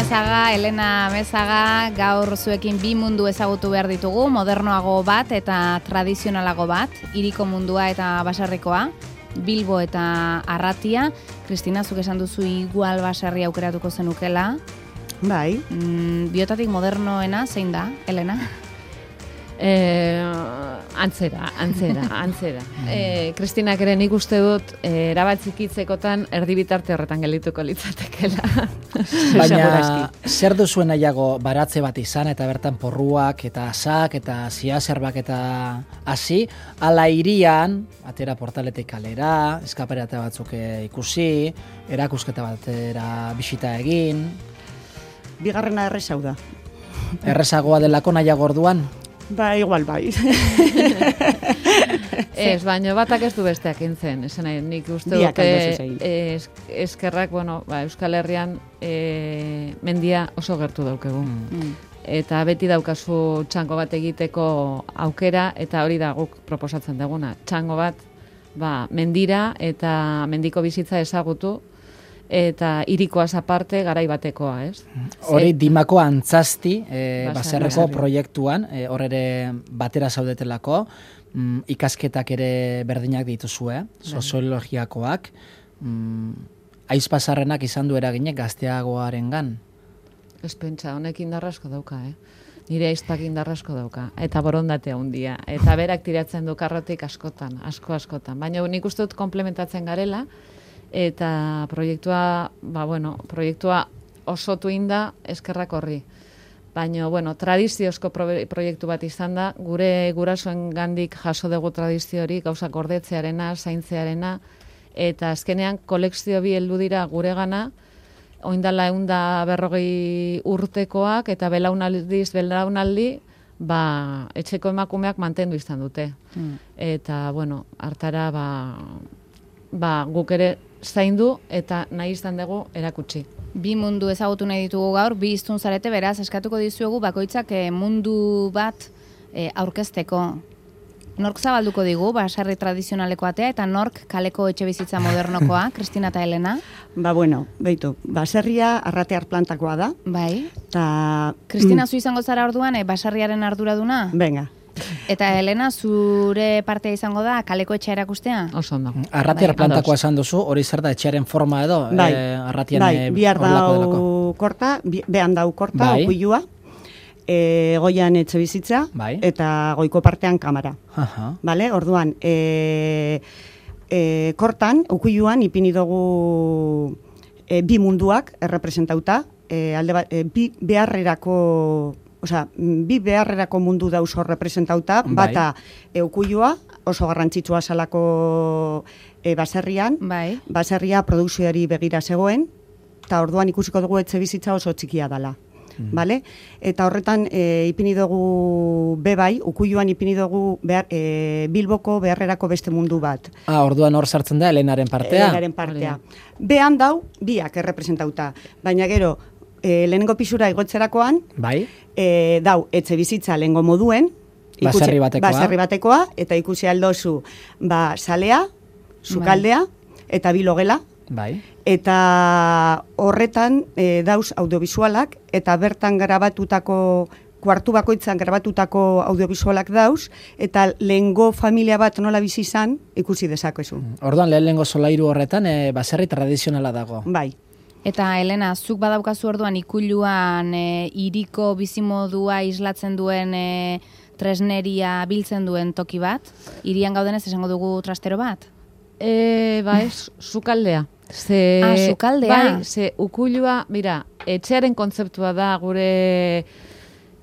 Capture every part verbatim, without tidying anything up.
Amezaga, Elena Amezaga, gaur zuekin bi mundu ezagutu behar ditugu, modernoago bat eta tradizionalago bat, hiriko mundua eta baserrikoa, Bilbo eta Arratia. Kristina, zuk esan duzu igual baserri aukeratuko zenukela. Bai. Mm, biotatik modernoena, zein da, Elena? Eh, antzera, antzera, antzera. Eh, Kristinak ere nik uste dut eh, erabatzikitzekotan erdibitarte horretan geldituko litzatekela. Baina zer duzuen nahiago baratze bat izan eta bertan porruak eta asak eta ziazerbak eta hasi, ala hirian, atera portaletik kalera, eskaperate batzuk ikusi, erakusketa batera bisita egin. Bigarrena errezau da. Errezagoa delako nahiago orduan? Ba, igual bai. Ez, baina batak ez du besteak intzen. Esan nahi, nik uste dute es, eskerrak, bueno, ba, Euskal Herrian e, mendia oso gertu daukegu. Mm. Eta beti daukazu txango bat egiteko aukera, eta hori da guk proposatzen duguna. Txango bat, ba, mendira eta mendiko bizitza ezagutu, eta hirikoaz aparte garai batekoa, ez? Hori Dimako Antzazti e, baserreko proiektuan, e, hor ere batera zaudetelako, mm, ikasketak ere berdinak dituzue, soziologiakoak, mm, aizpazarrenak izan du eraginek gazteagoarengan. Ez pentsa, honek indarrasko dauka, eh? Nire aizpak indarrasko dauka, eta borondatea handia, eta berak tiratzen du karrotik askotan, asko askotan. Baina nik uste dut komplementatzen garela, eta proiektua, ba, bueno, proiektua osotu inda eskerrak horri. Baina, bueno, tradiziozko proiektu bat izan da, gure gurasoen gandik jaso dugu tradizio hori, gauzak gordetzearena, zaintzearena, eta azkenean kolekzio bi heldu dira gure gana, oindala eunda berrogei urtekoak, eta belaunaldiz, belaunaldi, ba, etxeko emakumeak mantendu izan dute. Mm. Eta, bueno, hartara, ba, ba, guk ere zaindu eta nahi izan dugu erakutsi. Bi mundu ezagutu nahi ditugu gaur, bi hiztun zarete, beraz, eskatuko dizuegu bakoitzak eh, mundu bat eh, aurkezteko. Nork zabalduko digu, baserri tradizionaleko atea, eta nork kaleko etxe bizitza modernokoa, Kristina eta Elena? Ba, bueno, beitu, baserria Arratear plantakoa da. Bai. Ta... Kristina, zu izango zara orduan, eh, baserriaren arduraduna? Venga. Eta Elena, zure partea izango da kaleko etxea erakustea? Oso ondo. Arratiar bai, plantakoa esan duzu, hori zer da etxearen forma edo? Bai, e, arratian bai, e, bihar dau korta, behan dau korta, bai. Okuilua, e, goian etxe bizitza, bai. Eta goiko partean kamara. Aha. Vale? Orduan, e, e, kortan, okuiluan, ipini dugu e, bi munduak errepresentauta, e, alde bat, e, bi beharrerako... Osea, bi beharrerako mundu dauz hor representauta, bai. Bata eukuilua, oso garrantzitsua salako e, baserrian, bai. Baserria produkzioari begira zegoen, eta orduan ikusiko dugu etxe bizitza oso txikia dela. Mm. Vale? Eta horretan e, ipini dugu bebai, ukuiluan ipini dugu behar, e, Bilboko beharrerako beste mundu bat. Ah, orduan hor sartzen da Elenaren partea? Elenaren partea. Behan dau, biak errepresentauta, baina gero, E, lehenengo pisura igotzerakoan, bai. E, dau, etxe bizitza lehengo moduen, ikusi, baserri batekoa. baserri batekoa, eta ikusi aldozu, ba, salea, sukaldea, bai. Eta bilogela, bai. Eta horretan e, dauz audiovisualak, eta bertan grabatutako, kuartu bakoitzan grabatutako audiovisualak dauz, eta lehengo familia bat nola bizi izan, ikusi dezakezu. Orduan, lehen lehengo solairu horretan, e, baserri tradizionala dago. Bai. Eta, Elena, zuk badaukazu orduan ikuiluan e, iriko bizimodua islatzen duen e, tresneria biltzen duen toki bat? Irian gaudenez esango dugu trastero bat? E, ba ez, sukaldea. Ze, ah, sukaldea? Bai, ze ukuilua, mira, etxearen kontzeptua da gure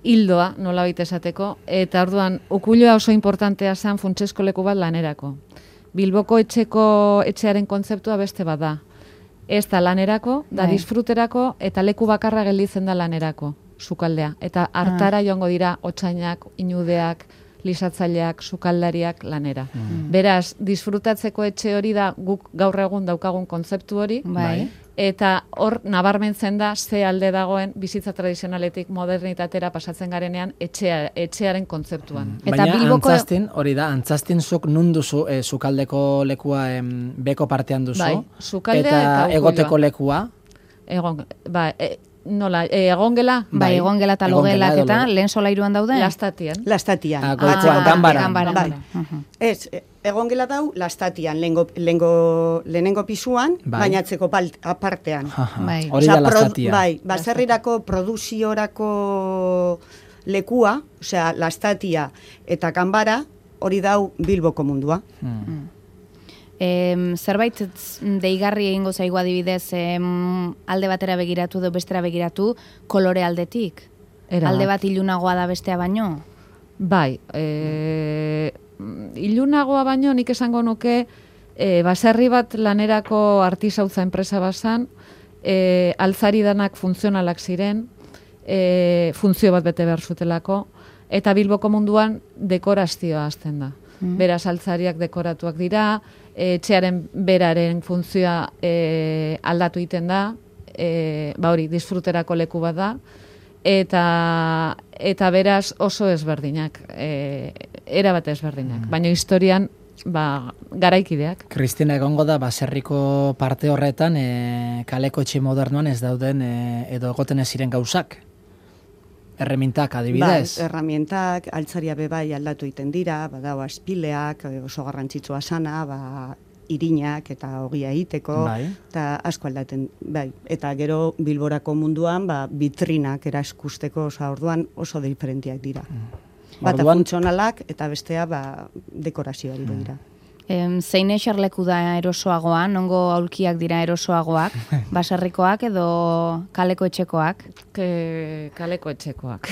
hildoa, nola baita esateko, eta orduan, ukuilua oso importantea zen funtsesko leku bat lanerako. Bilboko etxeko etxearen kontzeptua beste bat da. Ez da lanerako, da bai. Disfruterako, eta leku bakarra gelditzen da lanerako, sukaldea. Eta hartara ah. joango dira otsainak, inudeak, lisatzaileak, sukaldariak lanera. Mm. Beraz, disfrutatzeko etxe hori da guk gaur egun daukagun kontzeptu hori, bai. Eta hor nabarmentzen da ze alde dagoen bizitza tradizionaletik modernitatera pasatzen garenean etxea, etxearen kontzeptuan. Mm. Eta baina Bilboko... antzaztin, hori da, antzaztin zuk nun duzu e, sukaldeko lekua em, beko partean duzu, bai, eta, eta egoteko lekua? Egon, ba, e, nola, e, egongela? Bai, egongela eta logelak eta lehen solairuan daude? Lastatian. Lastatian. Ah, goikoan, ganbaran. Bai. Ez, egongela dau lastatian, lehengo, lehengo, lehenengo pisuan, bai. Bainatzeko apartean. Bai. Hori da lastatia. Bai, baserrirako produziorako lekua, osea, lastatia eta ganbara, hori dau Bilboko mundua. Hmm. E, zerbait deigarri egingo zaigu adibidez em, alde batera begiratu edo bestera begiratu kolore aldetik? Era alde bat ilunagoa da bestea baino? Bai, e, ilunagoa baino nik esango nuke e, baserri bat lanerako artisautza enpresa bazan, e, altzari danak funtzionalak ziren, e, funtzio bat bete behar zutelako, eta Bilboko munduan dekorazioa hasten da. Mm. Beraz, altzariak dekoratuak dira, etxearen beraren funtzioa e, aldatu egiten da, e, ba hori, disfruterako leku bat da, eta, eta beraz oso ezberdinak, e, erabat ezberdinak, mm. baina historian ba, garaikideak. Kristina, egongo da, baserriko parte horretan, e, kaleko etxe modernoan ez dauden e, edo egoten ez ziren gauzak? Erremintak adibidez. Bai, erramientak, altzaria bebai aldatu egiten dira, badau aspileak, oso garrantzitsua sana, ba, irinak eta ogia egiteko, bai. Eta asko aldaten, bai. Eta gero Bilborako munduan, ba, vitrinak eraskusteko, oso orduan oso diferentiak dira. Mm. Bata orduan... funtzionalak eta bestea ba, dekorazioari mm. dira. Em, zein eserleku da erosoagoa, nongo aulkiak dira erosoagoak, baserrikoak edo kaleko etxekoak? Ke, kaleko etxekoak.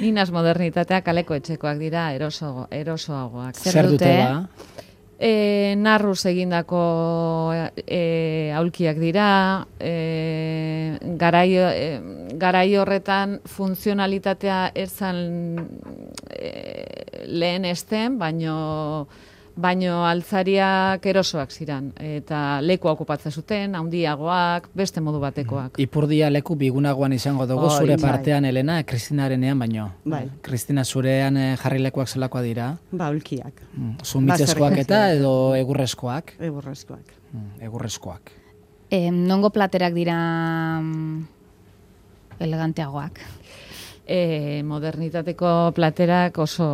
Ninaz modernitatea kaleko etxekoak dira eroso, erosoagoak. Zer dute ba? E, narruz egindako e, aulkiak dira, e, garai, e, garai horretan funtzionalitatea erzan e, lehen esten, baino baino altzariak erosoak ziran, eta lekua okupatzen zuten, handiagoak, beste modu batekoak. Ipurdia leku bigunagoan izango dugu, oh, zure partean, bai. Elena, Kristinarenean baino. Bai. Kristina, zurean jarri lekuak zelakoa dira? Ba, ulkiak. Mm. Zumitzeskoak eta edo egurrezkoak? Egurrezkoak. Mm, egurrezkoak. E, nongo platerak dira eleganteagoak? E, modernitateko platerak oso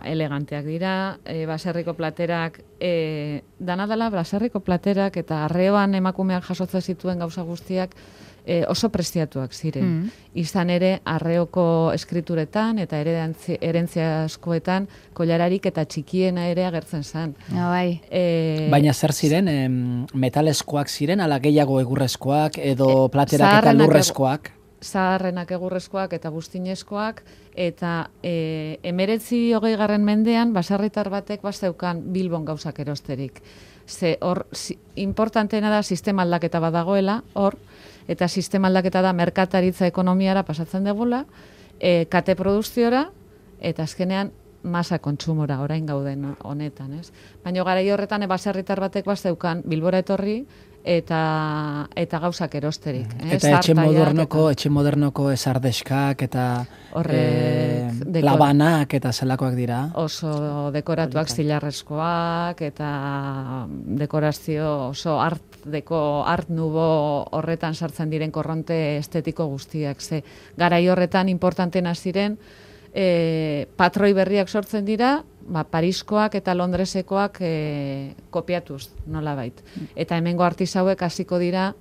eleganteak dira, e, baserriko platerak, e, dana dela baserriko platerak eta arreoan emakumeak jasotzen zituen gauza guztiak e, oso prestiatuak ziren. Mm. Izan ere, arreoko eskrituretan eta herentzia askoetan kolararik eta txikiena ere agertzen zen. Ja, bai. E, Baina zer ziren, em, metalezkoak ziren, ala gehiago egurrezkoak edo platerak eta lurrezkoak? Zaharrenak egurrezkoak eta buztinezkoak, eta e, emeretzi hogei garren mendean, baserritar batek bazeukan Bilbon gauzak erosterik. Ze hor, si, importanteena da sistema aldaketa badagoela, hor, eta sistema aldaketa da merkataritza ekonomiara pasatzen degula, e, kate produkziora, eta azkenean masa kontsumora, orain gauden honetan, ez? Baina garai horretan, e, baserritar batek bazeukan Bilbora etorri, eta eta gauzak erosterik. Mm. Eh? Eta etxe modernoko, eta... etxe modernoko esardeskak eta horrek, e, labanak eta zelakoak dira. Oso dekoratuak zilarrezkoak eta dekorazio oso art deko art nubo horretan sartzen diren korronte estetiko guztiak. Ze garai horretan importantena ziren e, patroi berriak sortzen dira, ba, Pariskoak eta Londresekoak e, kopiatuz, nolabait. Eta hemengo artisauek hasiko dira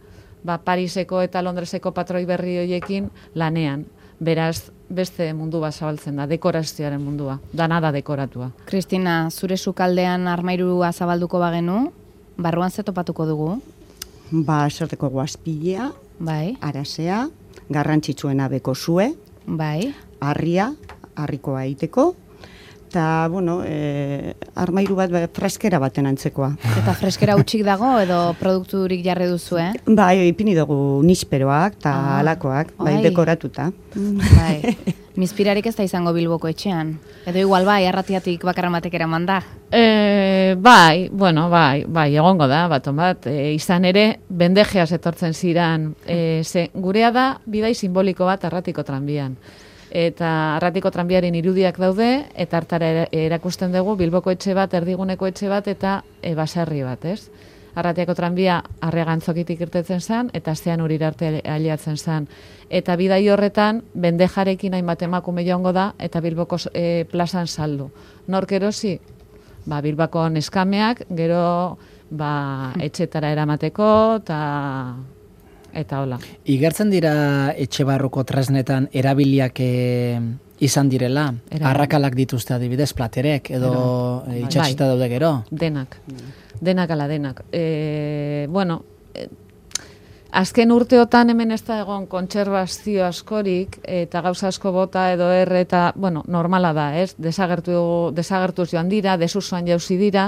ba, Pariseko eta Londreseko patroi berri horiekin lanean. Beraz, beste mundu bat zabaltzen da, dekorazioaren mundua, dana da dekoratua. Kristina, zure sukaldean armairua zabalduko bagenu, barruan ze topatuko dugu? Ba, eserteko guazpilea, bai. Arasea, garrantzitsuena beko zue, bai. Harria, harrikoa egiteko, eta, bueno, e, armairu bat freskera baten antzekoa. Eta freskera utxik dago edo produkturik jarri duzu, eh? Bai, ipini dugu nisperoak eta ah, alakoak, bai, bai, dekoratuta. Bai, mizpirarik ez da izango Bilboko etxean. Edo igual bai, arratiatik bakarra batek eraman da. E, bai, bueno, bai, bai, egongo da, baton bat. E, izan ere, bendejeaz etortzen ziran. E, ze, gurea da, bidai simboliko bat arratiko tranbian. Eta arratiko tranbiaren irudiak daude, eta hartara erakusten dugu Bilboko etxe bat, erdiguneko etxe bat, eta e, baserri bat, ez? Arratiako tranbia Arregantzokitik irtetzen zen, eta Zean Urira arte aliatzen zen. Eta bidai horretan, bendejarekin hainbat emakume joango da, eta Bilboko e, plazan saldu. Nork erosi? Ba, Bilbako neskameak, gero ba, etxetara eramateko, eta... eta hola. Igertzen dira etxe barruko tresnetan erabiliak e, izan direla? Erabiliak. Arrakalak dituzte adibidez, platerek, edo e, itxatxita daude gero? Denak. Denak ala denak. E, bueno, e, azken urteotan hemen ez da egon kontserbazio askorik, eta gauza asko bota edo erre, eta, bueno, normala da, ez? Desagertu, desagertuz joan dira, desusoan jauzi dira,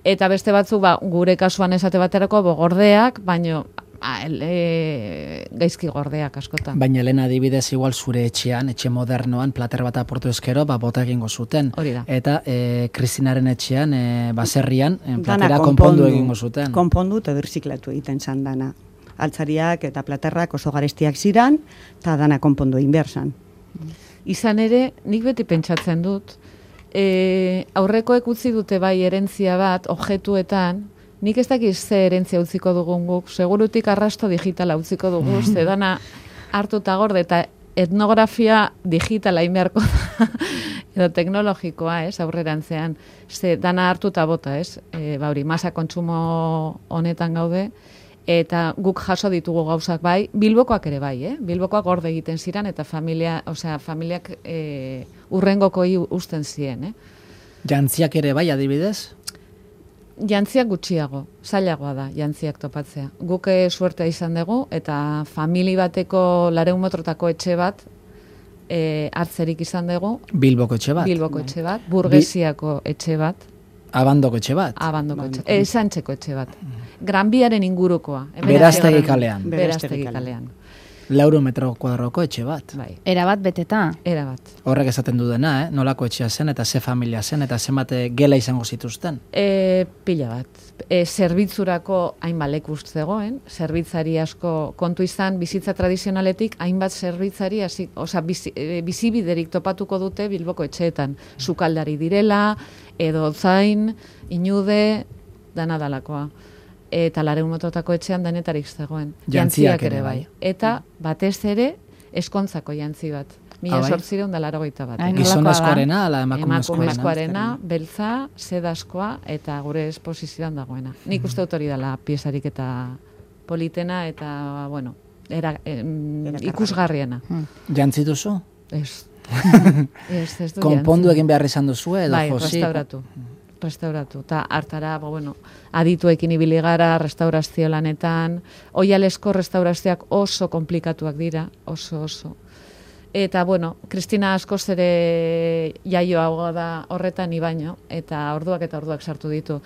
eta beste batzu, ba, gure kasuan esate baterako, bogordeak, baino, ba, e, gaizki gordeak askotan. Baina Elena adibidez igual zure etxean, etxe modernoan, plater bat aportu ezkero, ba, bota egingo zuten. Hori da. Eta e, Kristinaren etxean, e, baserrian, e, platera konpondu egingo zuten. Konpondu eta birziklatu egiten zan dana. Altzariak eta platerrak oso garestiak ziran, eta dana konpondu egin behar zan. Izan ere, nik beti pentsatzen dut, e, aurrekoek utzi dute bai erentzia bat, objetuetan, nik ez dakiz ze erentzia utziko dugun guk, segurutik arrasto digitala utziko dugu, ze dana hartuta gorde, eta etnografia digitala inbeharko da, edo teknologikoa, ez, aurrerantzean, ze dana hartuta bota, ez, e, ba hori, masa kontsumo honetan gaude, eta guk jaso ditugu gauzak bai, Bilbokoak ere bai, eh? Bilbokoak gorde egiten ziren, eta familia, osea, familiak e, urrengokoi usten ziren, eh? Jantziak ere bai, adibidez? Jantziak gutxiago, zailagoa da, jantziak topatzea. Guk suertea izan dugu, eta famili bateko lareun metrotako etxe bat, e, hartzerik izan dugu. Bilboko etxe bat? Bilboko etxe bat, burgesiako etxe bat. Abandoko etxe bat? Abandoko etxe, e, Santxeko etxe bat. Granbiaren ingurukoa. Beraztegi kalean. Beraztegi kalean. Lauro metro kuadroko etxe bat. Bai. Era bat beteta? Era bat. Horrek esaten du dena, eh? Nolako etxea zen, eta ze familia zen, eta zenbate gela izango zituzten? E, pila bat. E, zerbitzurako hainbat leku zegoen, zerbitzari asko kontu izan, bizitza tradizionaletik, hainbat zerbitzari, hasi, osea, bizi, e, bizibiderik topatuko dute Bilboko etxeetan. Sukaldari direla, edo zain, inude, dana dalakoa. Eta lareun metrotako etxean denetarik zegoen. Jantziak ere bai. Eta batez ere eskontzako jantzi bat. Mila sortzireun da larogeita bat. Gizonezkoarena, ala emakumezkoarena? Emakumezkoarena, beltza, sedazkoa, eta gure esposizioan dagoena. Nik uste dut hori dela piezarik eta politena, eta, bueno, era, em, ikusgarriena. Jantzi duzu? Ez. Ez, ez du konpondu egin behar izan duzu, edo bai, josi? restauratu. Restauratu. Ta hartara, ba, bueno, adituekin ibili gara, restaurazio lanetan, oialesko restaurazioak oso komplikatuak dira, oso, oso. Eta, bueno, Kristina askoz ere jaioago da horretan ibaino, eta orduak eta orduak sartu ditu.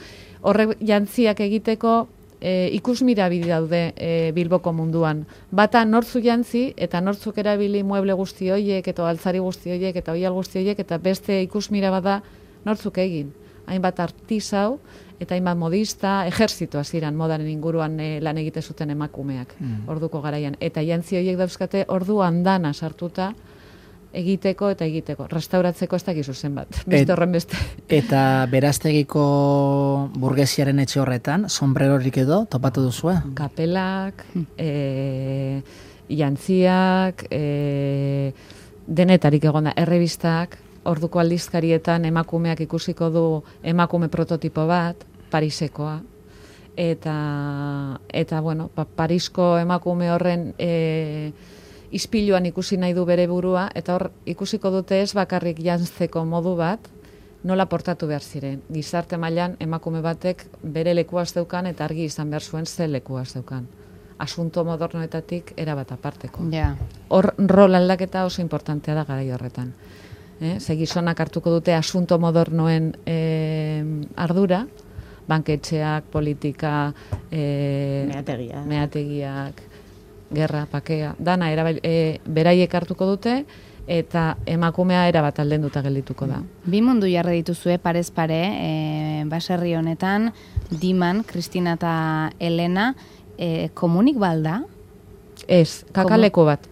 Horrek jantziak egiteko e, ikusmira bide daude e, Bilboko munduan. Bata nortzu jantzi, eta nortzuk erabili mueble guzti horiek, eta altzari guzti horiek, eta oial guzti horiek, eta beste ikusmira bada nortzuk egin. Hainbat artisau, eta hainbat modista, ejerzito hasieran modaren inguruan e, lan egite zuten emakumeak, mm. orduko garaian. Eta jantzi horiek dauzkate ordu andana sartuta egiteko eta egiteko. Restauratzeko ez dakizu zenbat, beste horren beste. Eta beraztegiko burgesiaren etxe horretan, sombrerorik edo topatu duzue? Kapelak, e, jantziak, e, denetarik egon da, errebistak, orduko aldizkarietan emakumeak ikusiko du emakume prototipo bat, Parisekoa, eta, eta bueno, pa, Parisko emakume horren e, ispiluan ikusi nahi du bere burua, eta hor ikusiko dute ez bakarrik jantzeko modu bat, nola portatu behar ziren. Gizarte mailan emakume batek bere lekua zeukan, eta argi izan behar zuen ze lekua zeukan. Asunto modernoetatik erabat aparteko. Yeah. Hor rol aldaketa oso importantea da garai horretan. Eh, ze gizonak hartuko dute asunto modernoen eh, ardura, banketxeak, politika, eh, meategiak. meategiak, gerra, pakea, dana erabil, eh, beraiek hartuko dute, eta emakumea erabat aldenduta geldituko da. Bi mundu jarri dituzue parez pare, e, baserri honetan, Diman, Kristina eta Elena, e, komunik balda? Ez, kakaleko bat.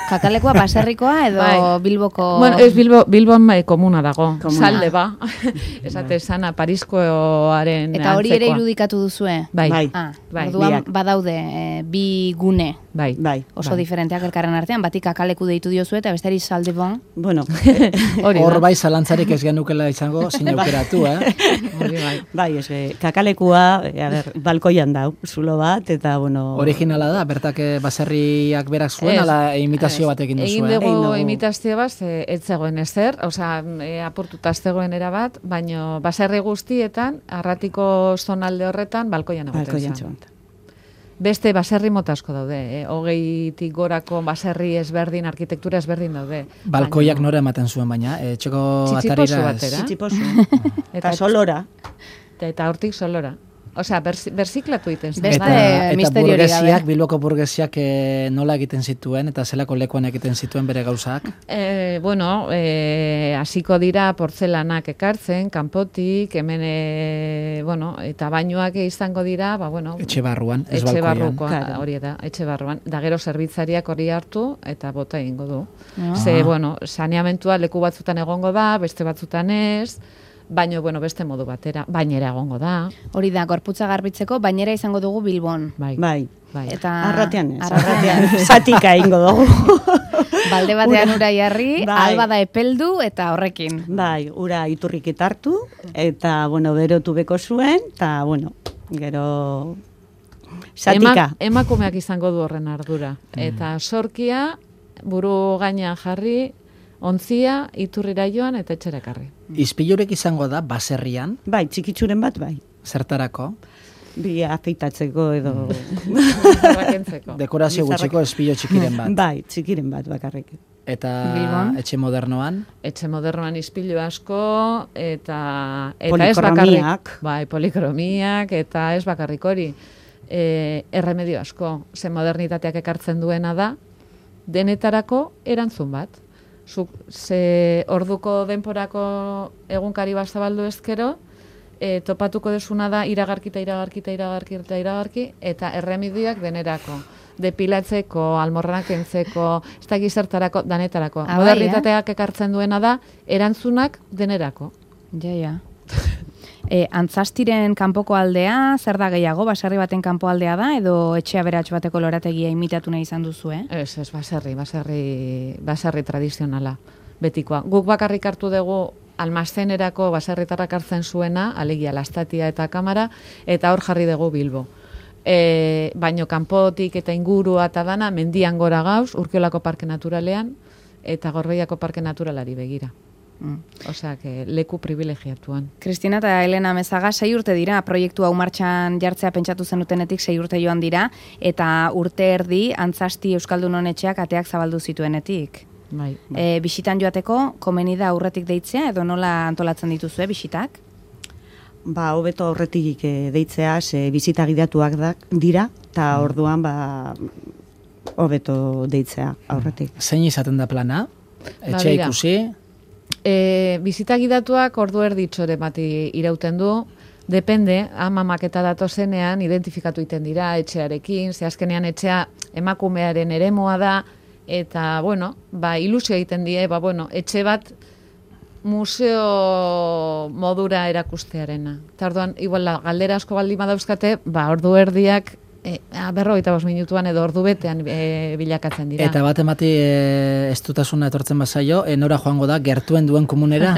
Kakalekua baserrikoa edo bai. Bilboko... Bueno, ez Bilbo, Bilbon bai, komuna dago, komuna. Salde ba. Esate sana, Pariskoaren Eta hori ere irudikatu duzue? Bai. bai. Ah, bai. Orduan badaude e, bi gune. Bai. bai. Oso bai. diferenteak elkarren artean, batik kakaleku deitu diozu eta bestari salde bon. Bueno, hor bai zalantzarik ez genukela izango sinaukeratu, eh? Hori bai. Bai, ez, kakalekua, a ber, balkoian dau, zulo bat, eta bueno... Originala da, bertak baserriak berak zuen, ala imitazio batekin duzu, eh? Egin dugu imitazio bat, ez zegoen ezer, osea, e, apurtuta ez zegoen erabat, baino baserri guztietan, arratiko zonalde horretan, balkoian egoten zen. Beste baserri mota asko daude, eh? Hogeitik gorako baserri ezberdin, arkitektura ezberdin daude. Balkoiak nora ematen zuen baina, e, txeko atarira... Txitsiposu batera. Txitsiposu. Eta solora. Eta hortik solora. Osea, berziklatu egiten zen. Beste eta burgesiak, Bilboko burgesiak e, nola egiten zituen, eta zelako lekuan egiten zituen bere gauzak? E, bueno, e, hasiko dira portzelanak ekartzen, kanpotik, hemen, e, bueno, eta bainoak izango dira, ba, bueno... Etxe barruan, ez etxe balkoian. Barruko, hori da, etxe barruan. Da gero zerbitzariak hori hartu, eta bota egingo du. Ah. Ze, bueno, saneamentua leku batzutan egongo da, beste batzutan ez... Baina, bueno, beste modu batera, bainera egongo da. Hori da, gorputza garbitzeko, bainera izango dugu Bilbon. Bai. Bai. bai. Eta... Arratean ez, arratean. Zatika ingo dugu. Balde batean ura jarri, bai. Alba da epeldu eta horrekin. Bai, ura iturrik etartu, eta, bueno, berotu beko zuen, eta, bueno, gero... Zatika. Ema, emakumeak izango du horren ardura. Eta sorkia, buru gainean jarri, ontzia, iturrira joan eta etxerakarri. Izpilurek izango da, baserrian? Bai, txikitsuren bat, bai. Zertarako? Bi afeitatzeko edo... Dekorazio gutxiko izpilo txikiren bat. Bai, txikiren bat bakarrik. Eta Bilbon? Etxe modernoan? Etxe modernoan izpilu asko, eta... eta polikromiak. Bai, polikromiak, eta ez bakarrik hori. E, erremedio asko. Ze modernitateak ekartzen duena da, denetarako erantzun bat. Zuk, ze orduko denporako egunkari bat zabaldu ezkero, e, topatuko desuna da iragarki eta iragarki eta iragarki eta iragarki, eta erremedioak denerako. Depilatzeko, almorranak kentzeko, ez da gizertarako, danetarako. Ah, modernitateak bai, eh? ekartzen duena da, erantzunak denerako. Ja, ja. E, antzastiren kanpoko aldea, zer da gehiago, baserri baten kanpo aldea da, edo etxe aberats bateko lorategia imitatu nahi izan duzu, eh? Ez, ez, baserri, baserri, baserri tradizionala, betikoa. Guk bakarrik hartu dugu almazenerako baserritarrak hartzen zuena, alegia lastatia eta kamara, eta hor jarri dugu Bilbo. E, baino kanpotik eta ingurua eta dana, mendian gora gauz, Urkiolako Parke Naturalean, eta Gorbeiako Parke Naturalari begira. Mm. Osea, que leku privilegiatuan. Kristina eta Elena Mezaga, sei urte dira, proiektu hau martxan jartzea pentsatu zenutenetik sei urte joan dira, eta urte erdi Antzasti Euskaldun Honetxeak ateak zabaldu zituenetik. Bai, bai. E, bisitan joateko, komeni da aurretik deitzea, edo nola antolatzen dituzue bisitak? Ba, hobeto aurretik deitzea, ze bisita gidatuak da, dira, eta orduan, ba, hobeto deitzea aurretik. Zein izaten da plana? Etxe ba, ikusi? E, bizita gidatuak ordu erditxore bati irauten du, depende, ama maketa datozenean identifikatu iten dira etxearekin, ze azkenean etxea emakumearen eremoa da, eta, bueno, ba, ilusio egiten die, ba, bueno, etxe bat museo modura erakustearena. Eta orduan, igual, galdera asko baldin badauzkate, ba, ordu erdiak E, berrogeita bost minutuan edo ordu betean e, bilakatzen dira. Eta bat emati e, ez dutasuna etortzen bazaio, e, nora joango da, gertuen duen komunera?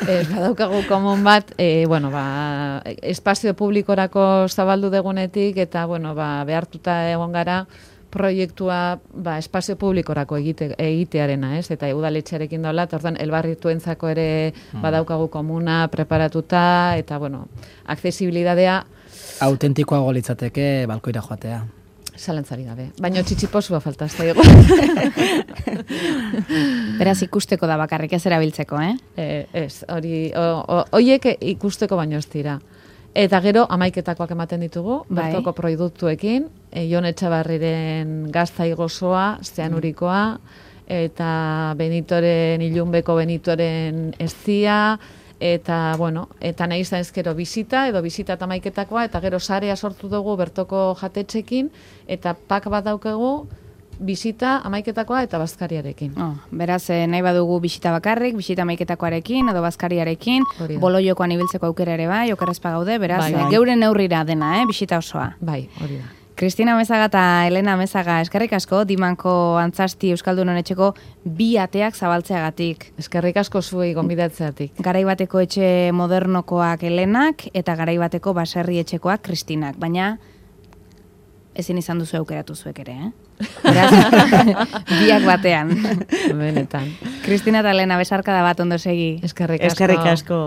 Ez, badaukagu komun bat, e, bueno, ba, espazio publikorako zabaldu degunetik, eta, bueno, ba, behartuta egon gara, proiektua ba, espazio publikorako egite, egitearena, ez? Eta udaletxearekin dola, eta orduan, elbarrituentzako ere badaukagu komuna preparatuta, eta, bueno, aksesibilidadea autentikoago litzateke balkoira joatea. Zalantzari gabe. Baina txitsiposua falta, ez da ego. Beraz ikusteko da bakarrik ez erabiltzeko, eh? E, ez, hori, horiek ikusteko baino ez dira. Eta gero, amaiketakoak ematen ditugu, bai. Bertoko produktuekin, e, Jon Etxabarriren gaztai gozoa, zeanurikoa, eta Benitoren, Ilunbeko Benitoren eztia, eta, bueno, eta nahi izan ezkero bizita, edo bizita eta maiketakoa, eta gero sarea sortu dugu bertoko jatetxekin, eta pak bat daukegu, bisita amaiketakoa eta bazkariarekin. Oh, beraz, nahi badugu bisita bakarrik, bisita amaiketakoarekin edo bazkariarekin, boloiokoan ibiltzeko aukera ere bai, okerrezpa gaude, beraz, bai, bai. geure neurrira dena, eh, bisita osoa. Bai, hori da. Kristina Mezaga eta Elena Mezaga, eskerrik asko, Dimanko Antzasti Euskaldunon etxeko bi ateak zabaltzeagatik. Eskerrik asko zuei gonbidatzeatik. Garaibateko etxe modernokoak Elenak eta garaibateko baserri etxekoak Kristinak, baina ezin izan duzu aukeratu zuek ere, eh? Beraz, biak batean. Benetan. Kristina eta Elena, besarka da bat ondo segi. Eskerrik asko. Eskerrik asko.